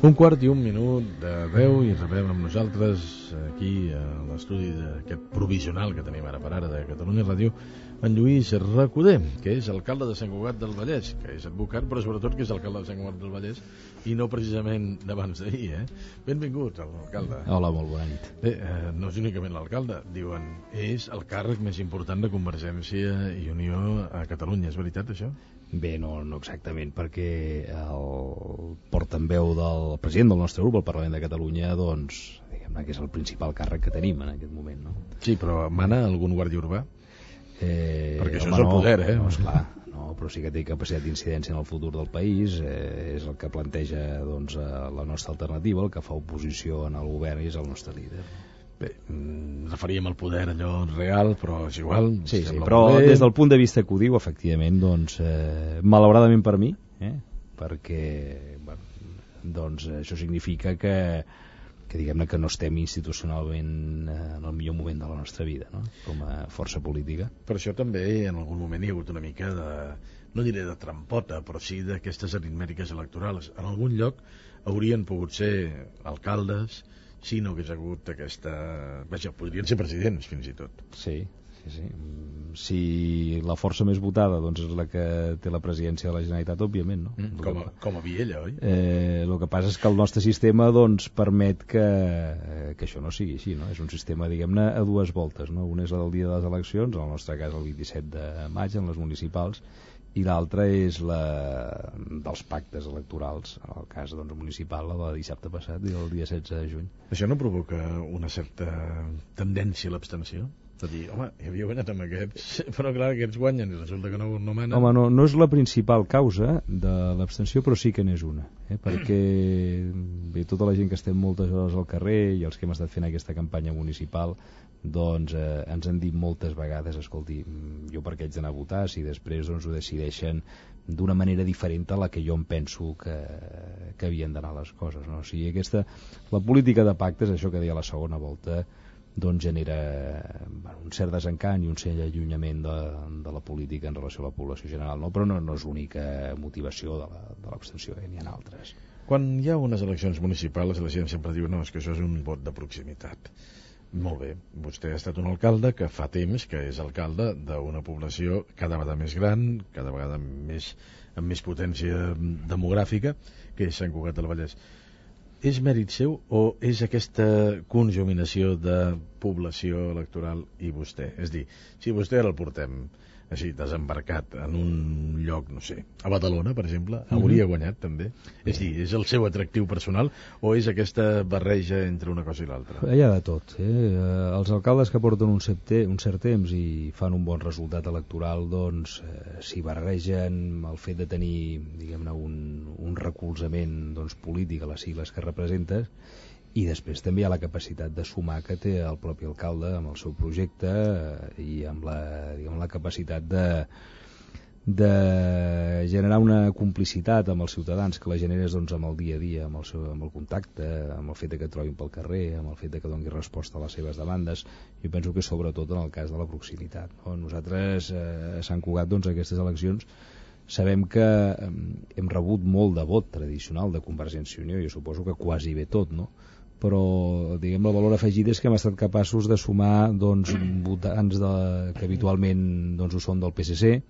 1:15 de 10 i rebem amb nosaltres aquí a l'estudi d'aquest provisional que tenim ara per ara de Catalunya Ràdio en Lluís Recoder, que és alcalde de Sant Cugat del Vallès, que és advocat però sobretot que és alcalde de Sant Cugat del Vallès i no precisament d'abans d'ahir, Benvingut, alcalde. Hola, molt bona nit. Bé, no és únicament l'alcalde, diuen, és el càrrec més important de Convergència i Unió a Catalunya, és veritat això? Bé, no exactament, perquè el portaveu del president del nostre grup al Parlament de Catalunya, doncs, diguem-ne que és el principal càrrec que tenim en aquest moment, no? Sí, però mana algun guàrdia urbà? Perquè això és el poder, No, esclar, no, però sí que té capacitat d'incidència en el futur del país, és el que planteja doncs, la nostra alternativa, el que fa oposició en el govern i és el nostre líder. Bé, referíem al poder allò real, però és igual. Sí, però des del punt de vista que ho diu, efectivament, doncs, malauradament per mi, perquè bueno, doncs, això significa que diguem-ne que no estem institucionalment en el millor moment de la nostra vida, no? Com a força política. Per això també en algun moment hi ha hagut una mica de, no diré de trampota, però sí d'aquestes aritmètiques electorals. En algun lloc haurien pogut ser alcaldes si no hagués hagut aquesta... Vaja, podrien ser presidents, fins i tot. Sí. Si la força més votada doncs, és la que té la presidència de la Generalitat, òbviament, no? Com a Viella, oi? El que passa és que el nostre sistema doncs, permet que això no sigui així, no? És un sistema, diguem-ne, a dues voltes, no? Una és la del dia de les eleccions, en el nostre cas el 27 de maig, en les municipals, i l'altra és la dels pactes electorals, en el cas doncs, municipal, la de dissabte passat i el dia 16 de juny. Això no provoca una certa tendència a l'abstenció? És a dir, home, havia guanyat amb aquests, però clar, aquests guanyen i resulta que no manen. Home, no és la principal causa de l'abstenció, però sí que n'és una, perquè bé, tota la gent que estem moltes hores al carrer i els que hem estat fent aquesta campanya municipal doncs ens han dit moltes vegades, escolti, jo per què haig d'anar a votar si després doncs, ho decideixen d'una manera diferent a la que jo em penso que havien d'anar les coses, no? O sigui, la política de pactes, això que deia la segona volta, doncs genera un cert desencant i un cert allunyament de la política en relació a la població general, no? Però no és l'única motivació de l'abstenció, n'hi ha altres. Quan hi ha unes eleccions municipals la gent sempre diu, no, és que això és un vot de proximitat. Molt bé, vostè ha estat un alcalde que fa temps que és alcalde d'una població cada vegada més gran, cada vegada amb més potència demogràfica, que és Sant Cugat del Vallès. És mèrit seu o és aquesta conjuminació de població electoral i vostè? És a dir, si vostè ara el portem així, desembarcat en un lloc, no sé, a Badalona, per exemple, hauria guanyat també? És a dir, és el seu atractiu personal o és aquesta barreja entre una cosa i l'altra? Hi ha de tot. Els alcaldes que porten un cert temps i fan un bon resultat electoral, doncs, s'hi barregen el fet de tenir, diguem-ne, un recolzament doncs, polític a les sigles que representes, i després també hi ha la capacitat de sumar que té el propi alcalde amb el seu projecte i amb la capacitat de generar una complicitat amb els ciutadans que la generes doncs, amb el dia a dia, amb el contacte, amb el fet que et trobin pel carrer, amb el fet que doni resposta a les seves demandes. Jo penso que sobretot en el cas de la proximitat, no? Nosaltres a Sant Cugat doncs, aquestes eleccions sabem que hem rebut molt de vot tradicional de Convergència i Unió, jo suposo que quasi bé tot, no? Però diguem el valor afegit és que hem estat capaços de sumar doncs, votants que habitualment doncs, ho són del PSC,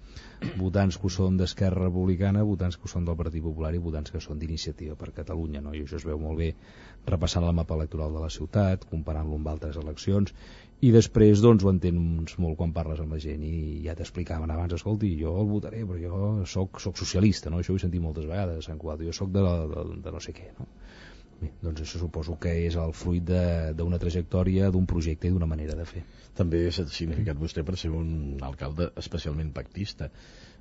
votants que ho són d'Esquerra Republicana, votants que ho són del Partit Popular i votants que són d'Iniciativa per Catalunya, no? I això es veu molt bé repassant el mapa electoral de la ciutat, comparant-lo amb altres eleccions, i després doncs, ho entens molt quan parles amb la gent i ja t'explicaven abans, escolti, jo el votaré però jo soc socialista, no? Això ho he sentit moltes vegades a Sant Cugat, jo soc de no sé què, no? Bé, doncs això suposo que és el fruit d'una trajectòria, d'un projecte i d'una manera de fer. També s'ha significat vostè per ser un alcalde especialment pactista.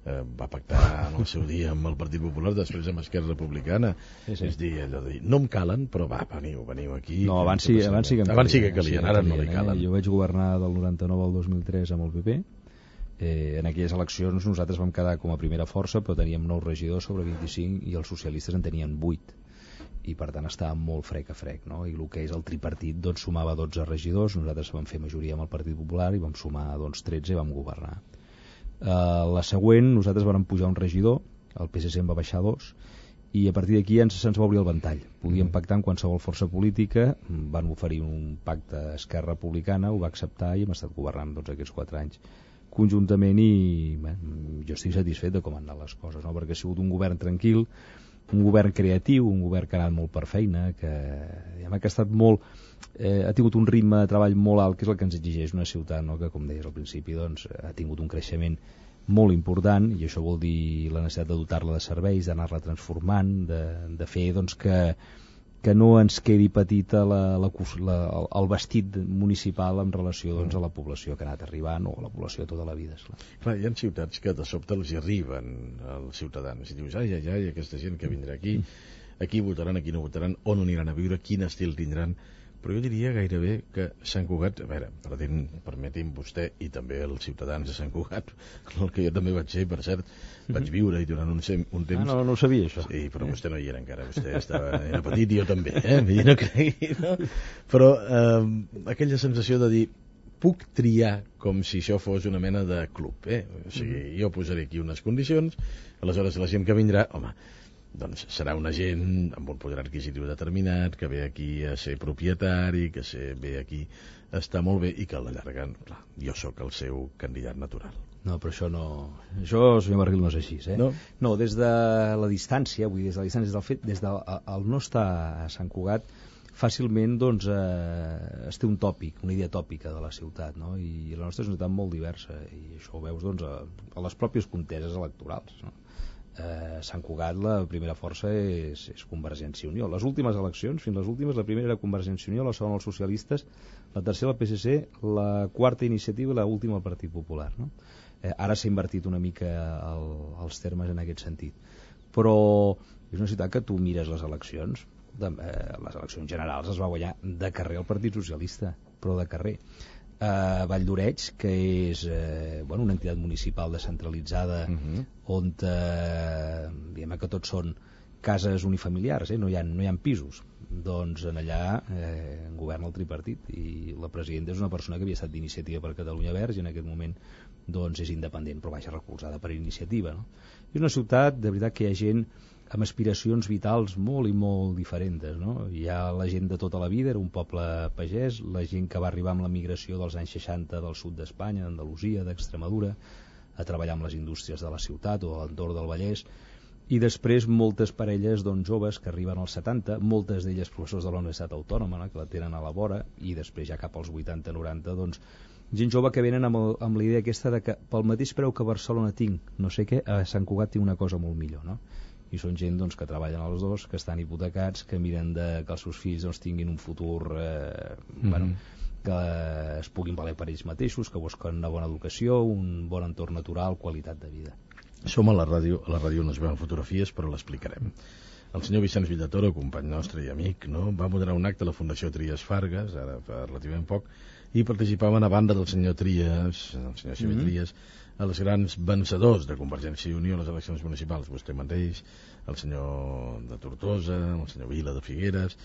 Va pactar en el seu dia amb el Partit Popular, després amb Esquerra Republicana. Sí. És dir, allò de dir, no em calen, però va, veniu aquí. No, abans sí que calien, ara no li calen. Jo vaig governar del 99 al 2003 amb el PP. En aquelles eleccions nosaltres vam quedar com a primera força, però teníem 9 regidors sobre 25 i els socialistes en tenien 8. I per tant estava molt frec a frec, no? I el que és el tripartit doncs, sumava 12 regidors, nosaltres vam fer majoria amb el Partit Popular i vam sumar doncs, 13 i vam governar. La següent, nosaltres vam pujar un regidor, el PSC en va baixar 2 i a partir d'aquí se'ns va obrir el ventall. Podíem pactar amb qualsevol força política, van oferir un pacte a Esquerra Republicana, ho va acceptar i hem estat governant aquests 4 anys conjuntament i jo estic satisfet de com han anat les coses, no? Perquè ha sigut un govern tranquil, un govern creatiu, un govern que ha anat molt per feina, que ha estat molt... ha tingut un ritme de treball molt alt, que és el que ens exigeix una ciutat, no? Que, com deies al principi, doncs, ha tingut un creixement molt important, i això vol dir la necessitat de dotar-la de serveis, d'anar-la transformant, de fer doncs, que no ens quedi petita el vestit municipal en relació doncs, a la població que ha anat arribant o a la població tota la vida. Clar, hi ha ciutats que de sobte els hi arriben als ciutadans i dius, ai, aquesta gent que vindrà aquí votaran, aquí no votaran, on aniran a viure, quin estil tindran. Però jo diria gairebé que Sant Cugat, a veure, permeti'm vostè i també els ciutadans de Sant Cugat, el que jo també vaig ser, per cert, vaig viure-hi durant un temps. No ho sabia, això. Sí, però vostè no hi era encara, vostè era petit i jo també, no cregui, no? Però aquella sensació de dir, puc triar com si això fos una mena de club, O sigui, jo posaré aquí unes condicions, aleshores la gent que vindrà, home, doncs serà una gent amb un poder adquisitiu determinat, que ve aquí a ser propietari, que ve aquí a estar molt bé i que a la llarga, clar, jo sóc el seu candidat natural. No, però això no... Això, senyor Barril, no és així, No, des de la distància, vull dir, des de la distància, des del no estar a Sant Cugat, fàcilment doncs, es té un tòpic, una idea tòpica de la ciutat, no? I la nostra és una ciutat molt diversa, i això ho veus doncs, a les pròpies conteses electorals, no? Sant Cugat la primera força és Convergència i Unió. Les últimes eleccions, fins les últimes, la primera era Convergència i Unió, la segona els socialistes, la tercera el PSC, la quarta Iniciativa i la última el Partit Popular, no? Ara s'ha invertit una mica els termes en aquest sentit, però és una ciutat que tu mires les eleccions generals es va guanyar de carrer el Partit Socialista, però de carrer. Vall d'Oreig, que és una entitat municipal descentralitzada on diguem que tots són cases unifamiliars, no hi ha pisos, doncs en allà governa el tripartit i la presidenta és una persona que havia estat d'Iniciativa per Catalunya Verds i en aquest moment doncs és independent, però vaja, recolzada per Iniciativa, no? És una ciutat de veritat que hi ha gent amb aspiracions vitals molt i molt diferents, no? Hi ha la gent de tota la vida, era un poble pagès, la gent que va arribar amb la migració dels anys 60 del sud d'Espanya, d'Andalusia, d'Extremadura, a treballar amb les indústries de la ciutat o a l'entorn del Vallès, i després moltes parelles doncs, joves que arriben als 70, moltes d'elles professors de la Universitat Autònoma, no? Que la tenen a la vora, i després ja cap als 80-90, doncs, gent jove que venen amb la idea aquesta de que pel mateix preu que a Barcelona tinc no sé què, a Sant Cugat tinc una cosa molt millor, no? I són gent doncs, que treballen els dos, que estan hipotecats, que miren que els seus fills doncs, tinguin un futur que es puguin valer per ells mateixos, que busquen una bona educació, un bon entorn natural, qualitat de vida. Som a la ràdio no es veuen fotografies, però l'explicarem. El senyor Vicenç Villatoro, company nostre i amic, no? Va moderar un acte a la Fundació Trias Fargas, ara fa relativament poc, i participaven a banda del senyor Trias, el senyor Xavier Trias, els grans vencedors de Convergència i Unió a les eleccions municipals, vostè mateix, el senyor de Tortosa, el senyor Vila de Figueres.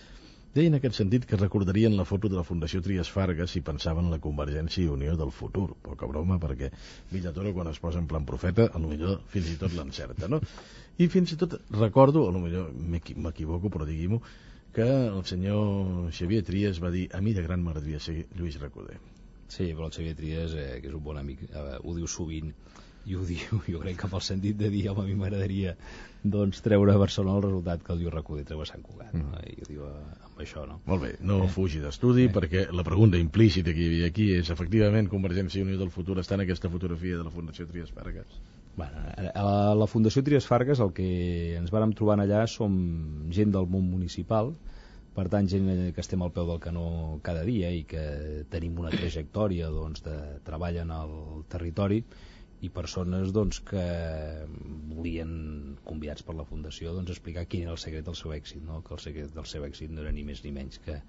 Deien en aquest sentit que recordarien la foto de la Fundació Trias Fargas si pensaven en la Convergència i Unió del futur. Poca broma, perquè Villatoro, quan es posa en plan profeta, potser fins i tot l'encerta, no? I fins i tot recordo, potser m'equivoco, però digui-m'ho, que el senyor Xavier Trias va dir: a mi de gran m'agradaria ser Lluís Recoder. Sí, però el Xavier Trias, que és un bon amic, ho diu sovint, i ho diu, jo crec que amb el sentit de dir, home, a mi m'agradaria doncs, treure a Barcelona el resultat que el Lluís Recoder treu a Sant Cugat, no? I ho diu amb això, no? Molt bé, no fugi d'estudi, perquè la pregunta implícita que hi havia aquí és, efectivament, Convergència i Unió del futur està en aquesta fotografia de la Fundació Trias Fargas? Bueno, a la Fundació Trias Fargas el que ens vàrem trobar allà som gent del món municipal, per tant gent que estem al peu del canó cada dia i que tenim una trajectòria doncs, de treball en el territori, i persones doncs, que volien, convidats per la Fundació, doncs, explicar quin era el secret del seu èxit, no? Que el secret del seu èxit no era ni més ni menys que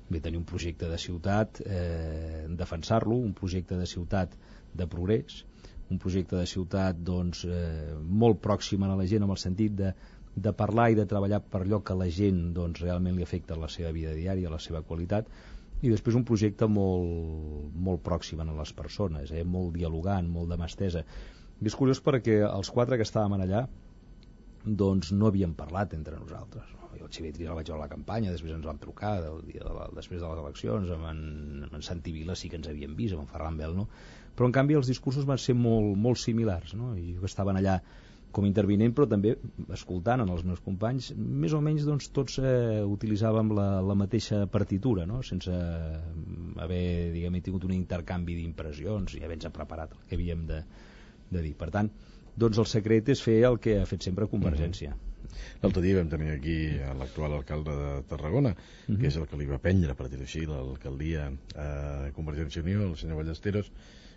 tenir un projecte de ciutat, defensar-lo, un projecte de ciutat de progrés, un projecte de ciutat doncs, molt pròxim a la gent, en el sentit de parlar i de treballar per allò que la gent doncs, realment li afecta a la seva vida diària, a la seva qualitat, i després un projecte molt pròxim a les persones, molt dialogant, molt de mà estesa. I és curiós perquè els 4 que estàvem allà doncs no havíem parlat entre nosaltres. Jo el Xavier Trias el vaig veure a la campanya, després ens vam trucar després de les eleccions, amb en Santi Vila sí que ens havíem vist, amb en Ferran Bel no, però en canvi els discursos van ser molt, molt similars, no? I jo estaven allà com intervinent, però també escoltant en els meus companys, més o menys doncs, tots utilitzàvem la mateixa partitura, no? Sense haver, diguem, tingut un intercanvi d'impressions i haver-nos preparat el que havíem de dir. Per tant, doncs el secret és fer el que ha fet sempre Convergència. L'altre dia vam tenir aquí l'actual alcalde de Tarragona, que és el que li va prendre, per dir-ho així, l'alcaldia a Convergència i Unió, el senyor Ballesteros,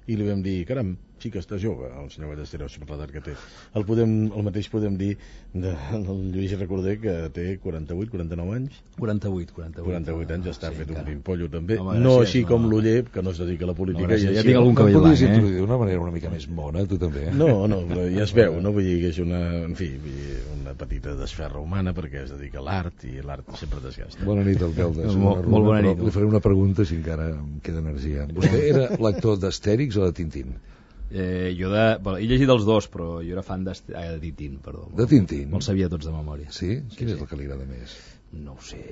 i li vam dir, caram, sí que està jove el senyor Ballesteros, per l'edat que té. El mateix podem dir del Lluís Recoder, que té 48, 49 anys. 48 anys, ja està fet un pimpollo també. Home, no així com l'Oller, que no es dedica a la política. Ja tinc algun cabell blanc, introduir d'una manera una mica més mona, tu també, No, però ja es veu, no? Vull dir que és una petita desferra humana, perquè es dedica a l'art, i l'art sempre desgasta. Bona nit, alcalde. Molt bona nit. Li faré una pregunta, si encara em queda energia. Vostè era lector d'Astèrix o de Tintín? He llegit els dos, però jo era fan de Tintín, perdó. De Tintín? Me'ls sabia tots de memòria. Sí? Quin és el que li agrada més? No ho sé,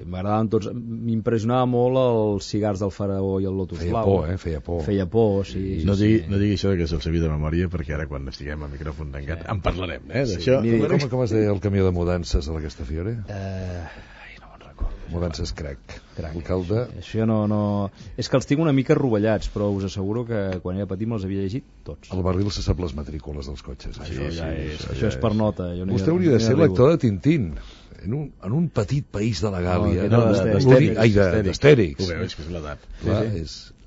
m'agradaven tots. M'impressionava molt els cigars del faraó i el lotus blau. Feia por. Feia por, sí. No digui això que se'l sabia de memòria, perquè ara quan estiguem a micròfon tancat en parlarem, d'això. Com es deia el camió de mudances a la Castafiore? No me'n recordo. Mudances Crac. Alcalde... Això no... És que els tinc una mica rovellats, però us asseguro que quan era petit me'ls havia llegit tots. Al barril se sap les matrícules dels cotxes. Això és per nota. Vostè hauria de ser lector de Tintín. En un petit país de la Gàlia. D'Astèrix. Ho veu, és que és l'edat.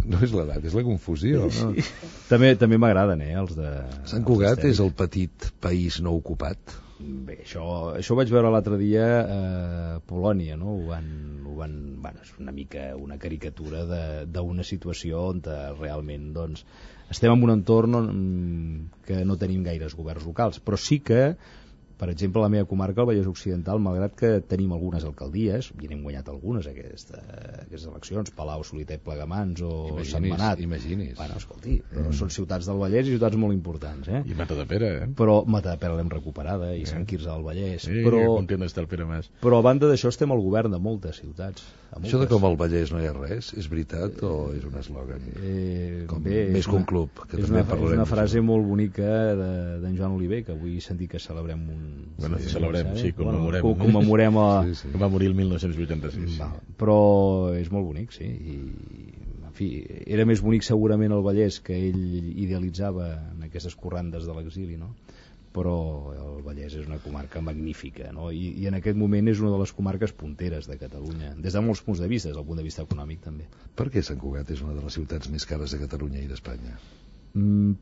No és l'edat, és la confusió. Sí. També m'agraden, els de... Sant Cugat és el petit país no ocupat? Bé, això ho vaig veure l'altre dia a Polònia, no? És una mica una caricatura d'una situació on realment doncs, estem en un entorn que no tenim gaires governs locals, però sí que, per exemple, la meva comarca, el Vallès Occidental, malgrat que tenim algunes alcaldies, i n'hem guanyat algunes aquestes eleccions, Palau, Solità i Plegamans o Sentmenat. Imagini's. Bueno, escolti, són ciutats del Vallès i ciutats molt importants, I Matadepera, Però Matadepera l'hem recuperada, i Sant Quirze del Vallès. Sí, que content està el Pere Mas. Però a banda d'això estem al govern de moltes ciutats. Això de com al Vallès no hi ha res, és veritat o és un eslògan? Més que un club, que també parlarem. És una frase molt bonica d'en Joan Oliver, que avui he sentit que celebrem commemorem que va morir el 1986. Però és molt bonic, sí, i en fi, era més bonic segurament el Vallès, que ell idealitzava en aquestes corrandes de l'exili, no? Però el Vallès és una comarca magnífica, no? I en aquest moment és una de les comarques punteres de Catalunya, des de molts punts de vista, des del punt de vista econòmic també. Per què Sant Cugat és una de les ciutats més cares de Catalunya i d'Espanya?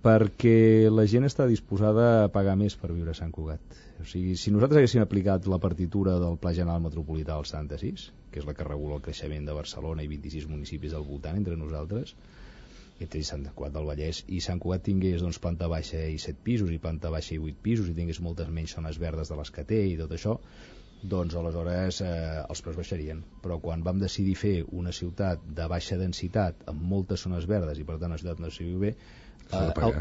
Perquè la gent està disposada a pagar més per viure a Sant Cugat. O sigui, si nosaltres haguéssim aplicat la partitura del Pla General Metropolità del 76, que és la que regula el creixement de Barcelona i 26 municipis al voltant entre nosaltres, entre Sant Cugat del Vallès, i Sant Cugat tingués doncs, planta baixa i 7 pisos i planta baixa i 8 pisos i tingués moltes menys zones verdes de les que té i tot això, doncs aleshores els preus baixarien. Però quan vam decidir fer una ciutat de baixa densitat amb moltes zones verdes i per tant una ciutat no s'hi viu bé,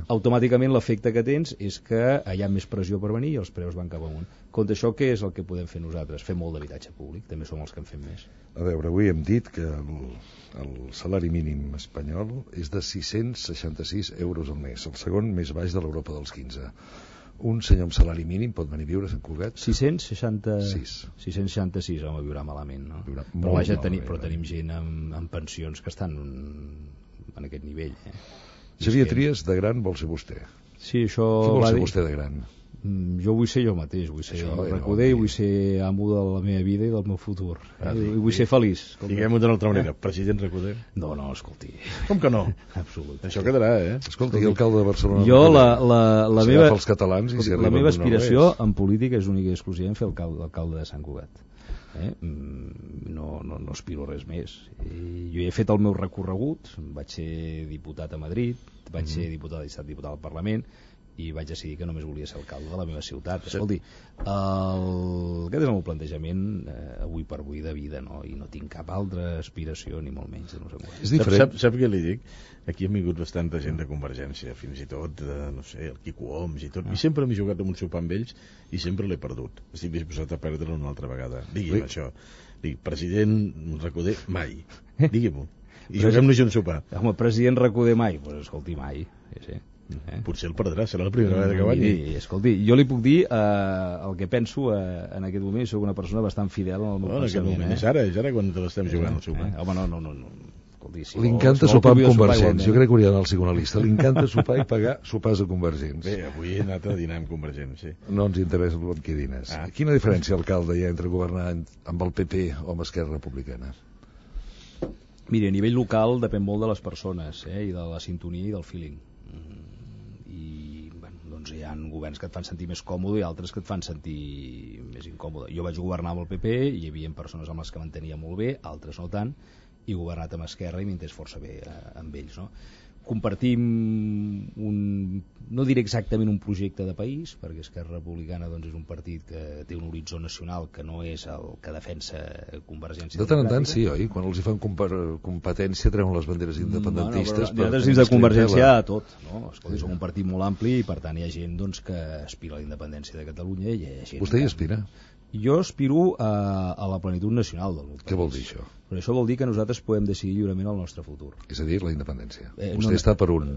automàticament l'efecte que tens és que hi ha més pressió per venir i els preus van cap amunt. Contra això, què és el que podem fer nosaltres? Fer molt d'habitatge públic, també som els que en fem més. A veure, avui hem dit que el salari mínim espanyol és de 666 euros al mes, el segon més baix de l'Europa dels 15. Un senyor amb salari mínim pot venir a viure a Sant Cugat? 666, home, viurà malament, no? Però tenim gent amb pensions que estan en aquest nivell, Xavier Trias, de gran, vol ser vostè. Sí, això... Què vol ser vostè de gran? Jo vull ser jo mateix, vull ser Recoder i vull ser amo de la meva vida i del meu futur. I vull ser feliç. Diguem-ho d'una altra manera, president Recoder. No, escolti. Com que no? Absolut. Això quedarà, Escolti, alcalde de Barcelona... Jo, la meva aspiració en política és única i exclusivament fer alcalde de Sant Cugat. No aspiro res més. Jo he fet el meu recorregut, vaig ser diputat a Madrid, vaig ser diputat al Parlament, i vaig decidir que només volia ser alcalde de la meva ciutat. Escolti, aquest és el meu plantejament avui per avui de vida, no? I no tinc cap altra aspiració, ni molt menys. No sé com. És diferent. Sap què li dic? Aquí ha vingut bastanta gent de Convergència, fins i tot, no sé, el Quico Homs i tot, i sempre m'he jugat amb un sopar amb ells i sempre l'he perdut. Estic disposat a perdre-lo una altra vegada. Digui'm això. Dic, president Recoder, mai. Digui'm-ho. I juguem-nos un sopar. Home, president Recoder mai? Doncs escolti, mai. Sí. Potser el perdrà, serà la primera vegada que guanyi. Escolti, jo li puc dir el que penso en aquest moment, soc una persona bastant fidel al meu pensament. És ara quan te l'estem jugant al sopar. Home, no. Escolti, li encanta sopar amb convergents. Jo crec que hauria d'anar al psicoanalista. Li encanta sopar i pagar sopars a convergents. Bé, avui he anat a dinar amb convergents, sí. No ens interessa amb qui dines. Quina diferència, alcalde, hi ha entre governar amb el PP o amb Esquerra Republicana? Mira, a nivell local depèn molt de les persones, i de la sintonia i del feeling. Doncs hi ha governs que et fan sentir més còmode i altres que et fan sentir més incòmode. Jo vaig governar amb el PP i hi havia persones amb les que m'entenia molt bé, altres no tant, i he governat amb Esquerra i m'entès força bé amb ells, no? Compartim no diré exactament un projecte de país, perquè Esquerra Republicana doncs, és un partit que té un horitzó nacional que no és el que defensa Convergència de tant en tant, sí, oi? Quan els hi fan competència treuen les banderes independentistes. Nosaltres dins de Convergència a tot, no? Escolti, som un partit molt ampli i per tant hi ha gent doncs, que aspira a la independència de Catalunya i hi ha gent. Vostè hi aspira? Jo aspiro a la plenitud nacional del meu país. Què vol dir això? Però això vol dir que nosaltres podem decidir lliurement el nostre futur. És a dir, la independència. Vostè està per una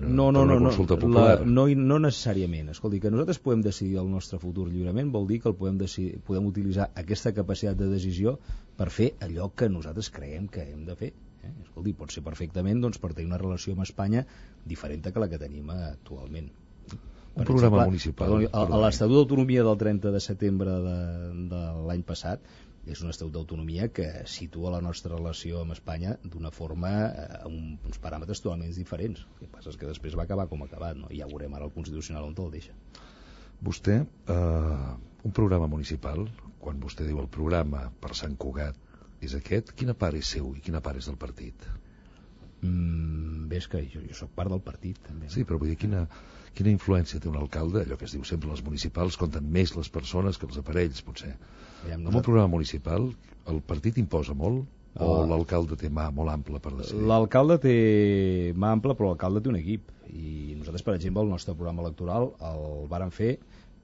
consulta popular. No necessàriament. Escolti, que nosaltres podem decidir el nostre futur lliurement vol dir que podem utilitzar aquesta capacitat de decisió per fer allò que nosaltres creiem que hem de fer. Escolti, pot ser perfectament doncs, per tenir una relació amb Espanya diferent que la que tenim actualment. Un programa municipal. L'Estatut d'Autonomia del 30 de setembre de l'any passat és un estatut d'autonomia que situa la nostra relació amb Espanya d'una forma amb uns paràmetres totalment diferents. El que passa és que després va acabar com ha acabat, no? I ja veurem ara el Constitucional on te'l deixa. Vostè, un programa municipal, quan vostè diu el programa per Sant Cugat és aquest, quina part és seu i quina part és del partit? Bé, és que jo soc part del partit també. Sí, però vull dir, quina influència té un alcalde? Allò que es diu sempre, les municipals compten més les persones que els aparells, potser. Amb un programa municipal el partit imposa molt o l'alcalde té mà molt ampla per decidir? L'alcalde té mà ampla, però l'alcalde té un equip i nosaltres, per exemple, el nostre programa electoral el vàrem fer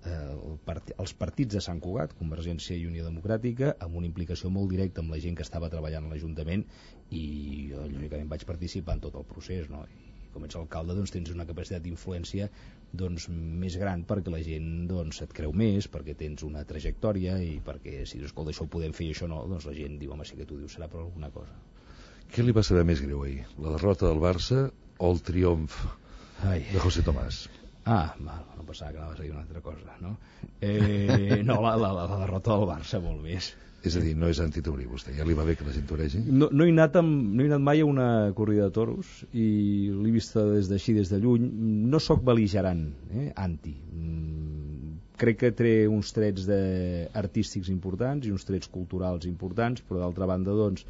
els partits de Sant Cugat, Convergència i Unió Democràtica, amb una implicació molt directa amb la gent que estava treballant a l'Ajuntament i jo lògicament vaig participar en tot el procés, no? I com ets alcalde doncs, tens una capacitat d'influència doncs, més gran perquè la gent doncs, et creu més, perquè tens una trajectòria i perquè si dius, escolta, això ho podem fer i això no, doncs la gent diu, home, sí que tu dius, serà per alguna cosa. Què li va saber més greu ahir? La derrota del Barça o el triomf de José Tomás? No pensava que anaves a dir una altra cosa, no? No, la derrota del Barça molt més. És a dir, no és antitaurí vostè, ja li va bé que la gent toregi? No he anat mai a una corrida de toros i l'he vista des de lluny. No sóc bel·ligerant, anti. Crec que té uns trets artístics importants i uns trets culturals importants, però d'altra banda, doncs,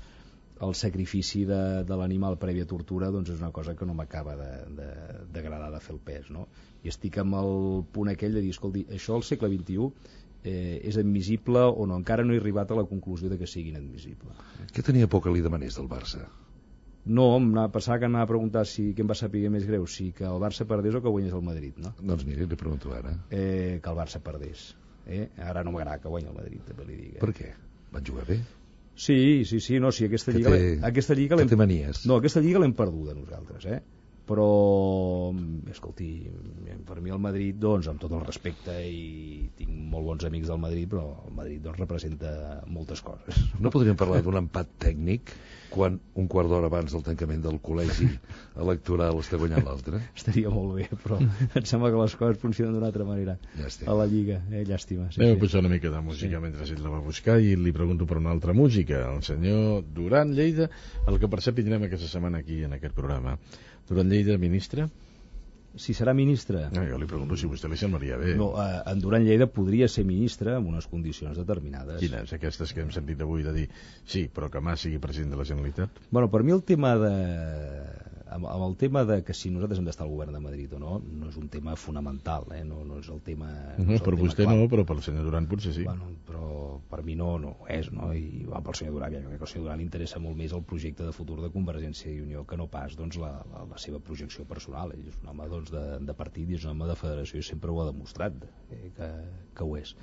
el sacrifici de l'animal prèvia tortura doncs és una cosa que no m'acaba d'agradar de fer el pes, no? I estic amb el punt aquell de dir, escolti, això al segle XXI és admissible o no, encara no he arribat a la conclusió de que sigui inadmissible. Què tenia por que li demanés del Barça? No, pensava que m'ha preguntat què em va saber més greu, si que el Barça perdés o que guanyés el Madrid, no? Doncs miri, li pregunto ara. Que el Barça perdés. Ara no m'agrada que guanyi el Madrid, també li dic. Per què? Van jugar bé? Sí, no, sí, aquesta lliga té manies. No, aquesta lliga l'hem perduda nosaltres, però escolti, per mi el Madrid, doncs, amb tot el respecte i tinc molt bons amics del Madrid, però el Madrid doncs, representa moltes coses. No podríem parlar d'un empat tècnic quan un quart d'hora abans del tancament del col·legi electoral està guanyant l'altre? Estaria molt bé, però em sembla que les coses funcionen d'una altra manera a la Lliga, llàstima. Anem a posar una mica de música mentre ell la va buscar i li pregunto per una altra música, el senyor Duran Lleida, el que per cert tindrem aquesta setmana aquí en aquest programa. Duran Lleida, ministre? Si serà ministre? No, jo li pregunto si vostè li semblaria bé. No, en Duran Lleida podria ser ministre amb unes condicions determinades. Quines? Aquestes que hem sentit avui de dir sí, però que Mas sigui president de la Generalitat? Bueno, per mi el tema de... amb el tema de que si nosaltres hem d'estar al govern de Madrid o no, no és un tema fonamental, no és el tema... No, per vostè no, però pel senyor Duran potser sí. Bueno, però per mi no ho és, no? I pel senyor Duran, jo crec que al senyor Duran li interessa molt més el projecte de futur de Convergència i Unió que no pas doncs, la seva projecció personal. Ell és un home doncs, de partit i és un home de federació i sempre ho ha demostrat que ho és.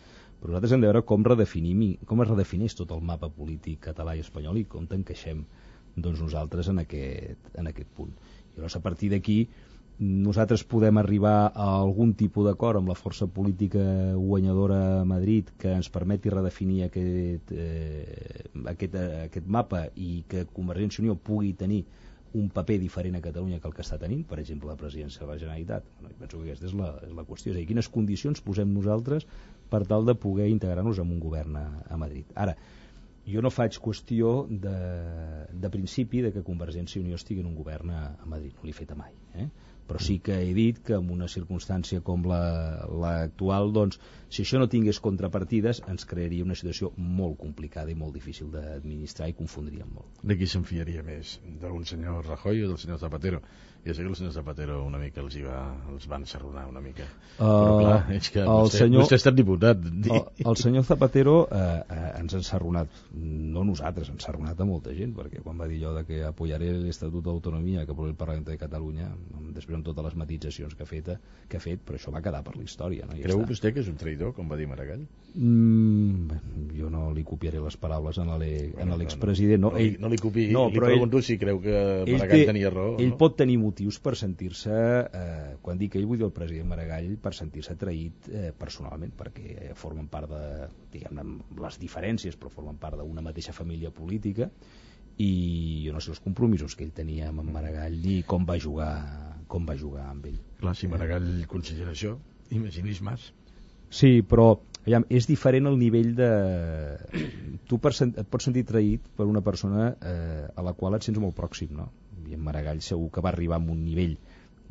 Però nosaltres hem de veure com es redefineix tot el mapa polític català i espanyol i com t'encaixem doncs, nosaltres en aquest punt. I llavors, a partir d'aquí, nosaltres podem arribar a algun tipus d'acord amb la força política guanyadora a Madrid que ens permeti redefinir aquest mapa i que Convergència i Unió pugui tenir un paper diferent a Catalunya que el que està tenint, per exemple la presidència de la Generalitat. Bueno, penso que aquesta és la qüestió, és a dir, quines condicions posem nosaltres per tal de poder integrar-nos en un govern a Madrid. Ara, jo no faig qüestió de principi de que Convergència i Unió estigui en un govern a Madrid, no l'he fet mai, però sí que he dit que en una circumstància com l'actual, doncs, si això no tingués contrapartides, ens crearia una situació molt complicada i molt difícil d'administrar i confondríem molt. De qui s'enfiaria més? D'un senyor Rajoy o del senyor Zapatero? Ja sé que el senyor Zapatero una mica els va ensarronar una mica. Però clar, és que vostè ha estat diputat. El senyor Zapatero ens ha ensarronat, no nosaltres, ha ensarronat a molta gent, perquè quan va dir allò de que apoyaré l'Estatut d'Autonomia que aprova el Parlament de Catalunya, després amb totes les matisacions que ha fet, però això va quedar per la història. No? Creu vostè que és un traïdor, com va dir Maragall? Jo no li copiaré les paraules a l'expresident. No li copiï, li pregunto si creu que Maragall tenia raó. Ell pot tenir motius per sentir-se, quan dic ell vull dir el president Maragall, per sentir-se traït personalment, perquè formen part de, diguem-ne, les diferències, però formen part d'una mateixa família política, i jo no sé els compromisos que ell tenia amb en Maragall ni com va jugar amb ell. Clar, si Maragall considera això, imagini's Mas. Sí, però és diferent el nivell de... Tu et pots sentir traït per una persona a la qual et sents molt pròxim, no? I en Maragall segur que va arribar a un nivell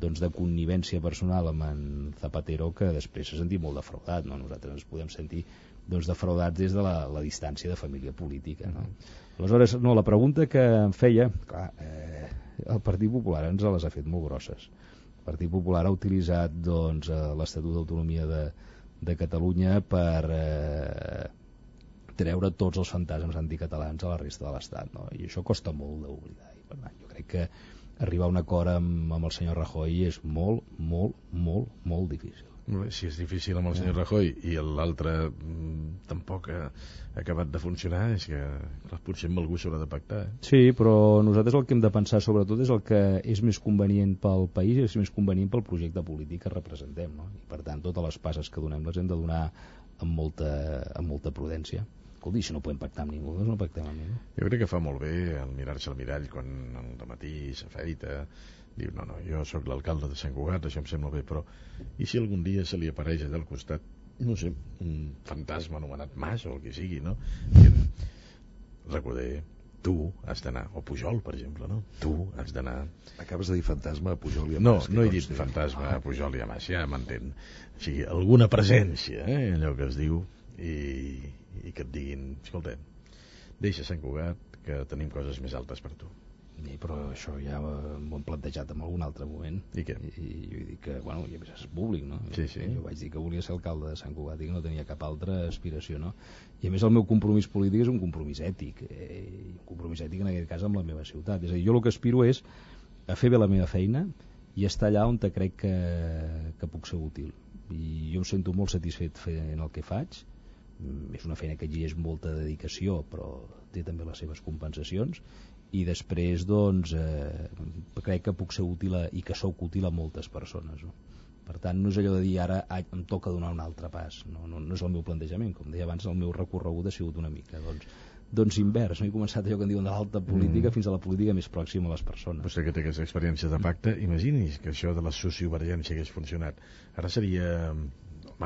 doncs, de connivència personal amb en Zapatero que després s'ha sentit molt defraudat, no? Nosaltres ens podem sentir doncs, defraudats des de la distància de família política, no? Aleshores, no, la pregunta que em feia, clar, el Partit Popular ens les ha fet molt grosses. El Partit Popular ha utilitzat doncs, l'Estatut d'Autonomia de Catalunya per treure tots els fantasmes anticatalans a la resta de l'Estat, no? I això costa molt d'oblidar. I per tant, jo crec que arribar a un acord amb el senyor Rajoy és molt, molt, molt, molt difícil. Si és difícil amb el senyor Rajoy i l'altre tampoc ha acabat de funcionar, és que potser amb algú s'haurà de pactar. Sí, però nosaltres el que hem de pensar sobretot és el que és més convenient pel país i és més convenient pel projecte polític que representem, no? I per tant totes les passes que donem les hem de donar amb molta prudència. Escolti, si no podem pactar amb ningú, doncs no pactem amb ningú. Jo crec que fa molt bé el mirar-se al mirall quan al dematí s'afeita, diu, no, jo sóc l'alcalde de Sant Cugat, això em sembla bé, però i si algun dia se li apareix allà al costat, no sé, un fantasma anomenat Mas o el que sigui, no? Recordé, tu has d'anar, o Pujol, per exemple, no? Tu has d'anar... Acabes de dir fantasma a Pujol i a Mas. No he dit fantasma a Pujol i a Mas, ja m'entén. O sigui, alguna presència, allò que es diu, i que et diguin, escolta, deixa Sant Cugat, que tenim coses més altes per tu. Sí, però això ja m'ho han plantejat en algun altre moment. I què? I jo dic que, bueno, i a més és públic, no? Sí. Jo vaig dir que volia ser alcalde de Sant Cugat i que no tenia cap altra aspiració, no? I a més el meu compromís polític és un compromís ètic, un compromís ètic en aquest cas amb la meva ciutat. És a dir, jo el que aspiro és a fer bé la meva feina i estar allà on crec que puc ser útil. I jo em sento molt satisfet fent el que faig. És una feina que exigeix molta dedicació, però té també les seves compensacions. I després doncs crec que puc ser útil i que sóc útil a moltes persones, no? Per tant no és allò de dir ara em toca donar un altre pas, no és el meu plantejament, com deia abans el meu recorregut ha sigut una mica doncs invers, no? He començat allò que en diuen de l'alta política fins a la política més pròxima a les persones. Vostè que té aquesta experiència de pacte, imagini's que això de la sociovergència hagués funcionat, ara seria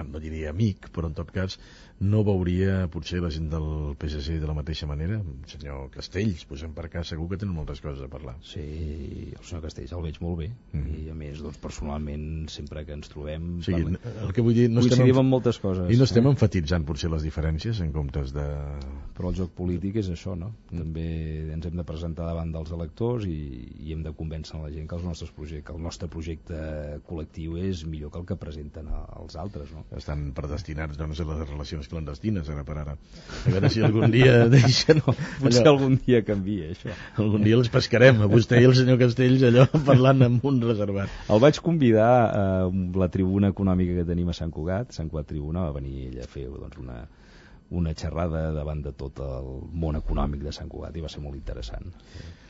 no diria amic, però en tot cas no veuria potser la gent del PSC de la mateixa manera. El senyor Castells, posem per cas, segur que tenen moltes coses a parlar. Sí, el senyor Castells el veig molt bé, i a més, doncs, personalment, sempre que ens trobem... O sigui, el que vull dir... coincidim en moltes coses. I no estem enfatitzant potser les diferències en comptes de... Però el joc polític és això, no? També ens hem de presentar davant dels electors i hem de convèncer la gent que el nostre projecte col·lectiu és millor que el que presenten els altres, no? Estan predestinats, doncs, a les relacions clandestines, ara per ara. A veure si algun dia deixen... Potser algun dia canvia, això. Algun dia els pescarem, a vostè i el senyor Castells, allò, parlant amb un reservat. El vaig convidar a la tribuna econòmica que tenim a Sant Cugat Tribuna, va venir ell a fer doncs, una xerrada davant de tot el món econòmic de Sant Cugat i va ser molt interessant.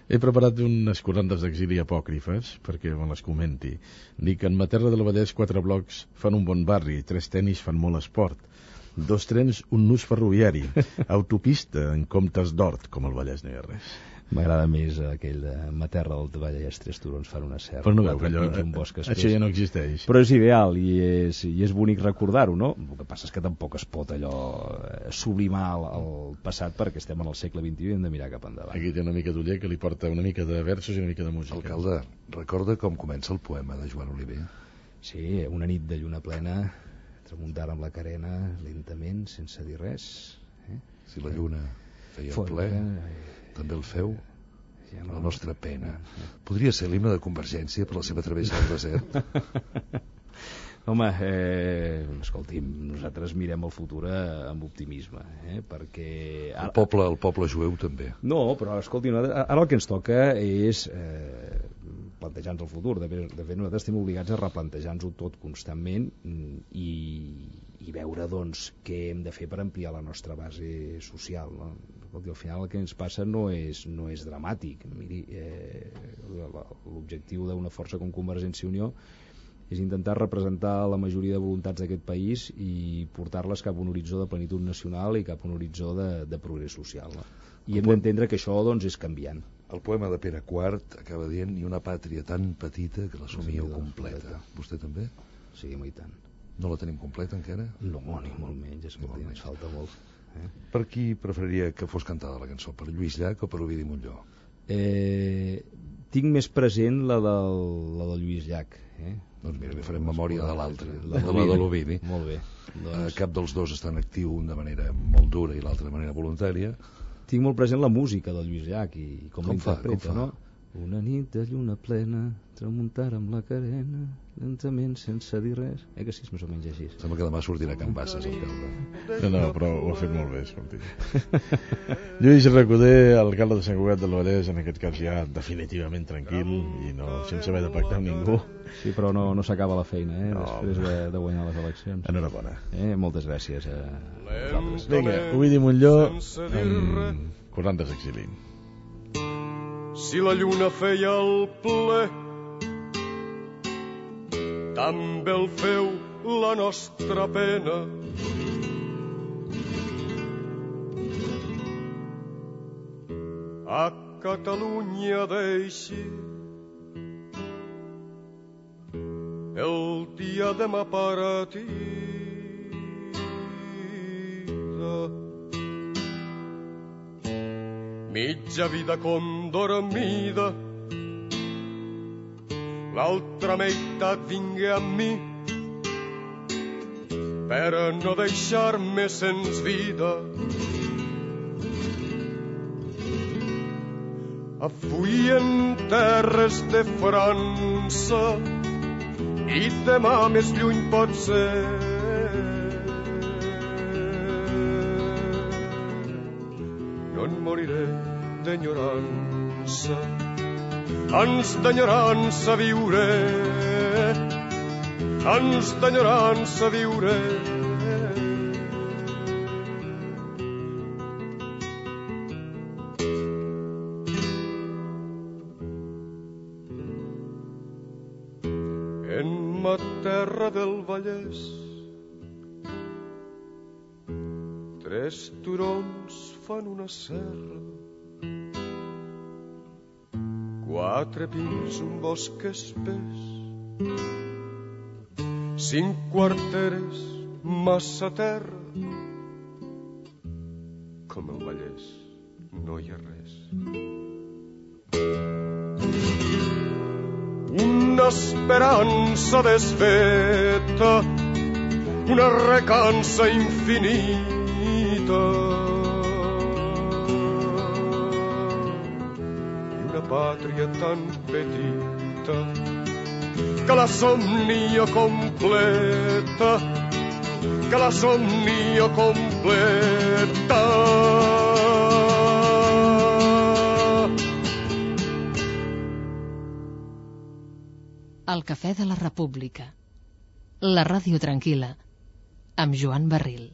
He preparat unes corrandes d'exili apòcrifes perquè me les comenti. Dic que en ma terra del Vallès 4 blocs fan un bon barri, 3 tenis fan molt esport, 2 trens, un nus ferroviari, autopista en comptes d'hort, com al Vallès no hi ha res. M'agrada més aquell de ma terra del Vallès, 3 turons fan una serra. Però no veu que allò, això ja no existeix. Però és ideal i és bonic recordar-ho, no? El que passa és que tampoc es pot allò sublimar el passat perquè estem en el segle XXI i hem de mirar cap endavant. Aquí té una mica d'Oller que li porta una mica de versos i una mica de música. Alcalde, recorda com comença el poema de Joan Oliver? Sí, una nit de lluna plena, tramuntar amb la carena, lentament, sense dir res. Si la lluna feia ple... també el feu, la nostra pena. Podria ser l'himne de Convergència per la seva travessa al desert? Home, escolti'm, nosaltres mirem el futur amb optimisme, perquè... El poble jueu també. No, però escolti, ara el que ens toca és plantejar-nos el futur. De fet, nosaltres estem obligats a replantejar-nos-ho tot constantment i veure, doncs, què hem de fer per ampliar la nostra base social, no? Escolti, al final el que ens passa no és dramàtic. Miri, l'objectiu d'una força com Convergència i Unió és intentar representar la majoria de voluntats d'aquest país i portar-les cap a un horitzó de plenitud nacional i cap a un horitzó de progrés social, no? I hem d'entendre que això, doncs, és canviant. El poema de Pere IV acaba dient ni una pàtria tan petita que l'assumíeu completa. Vostè també? Sí, i tant. No la tenim completa encara? No, ni molt menys, escolti, ens falta molt. Per qui preferiria que fos cantada la cançó? Per Lluís Llach o per Ovidi Montllor? Tinc més present la del Lluís Llach. Doncs mira, li farem memòria de l'altra, la de l'Ovidi. Molt bé. Cap dels dos està en actiu de manera molt dura i l'altra de manera voluntària. Tinc molt present la música del Lluís Llach i com l'interpreta, no? Una nit de lluna plena, tramuntar amb la carena, lentament, sense dir res. Que sí, és més o menys així. Sembla que demà sortirà Can Bassas, alcalde. No, però ho ha fet molt bé, escolti. Lluís Recoder, alcalde de Sant Cugat del Vallès, en aquest cas ja definitivament tranquil i no sense haver de pactar amb ningú. Sí, però no s'acaba la feina, després de guanyar les eleccions. Enhorabona. Moltes gràcies a vosaltres. Vinga, Ovidi Montllor amb Corrandes d'exili. Si la lluna feia el ple, també el feu la nostra pena. A Catalunya deixi el diadema partida. Mitja vida condormida, l'altra meitat vingué amb mi per no deixar-me sens vida. Avui en terres de França i demà més lluny pot ser. No en moriré d'enyorança, ans d'enyorança viuré, ans d'enyorança viuré. En ma terra del Vallès, 3 turons fan una serra, 4 pins, un bosc espès, 5 quarteres massa terra. Com el Vallès no hi ha res. Una esperança desfeta, una recança infinita i una pàtria tan petita que la somnia completa, que la somnia completa. El Cafè de la República, la ràdio tranquil·la, amb Joan Barril.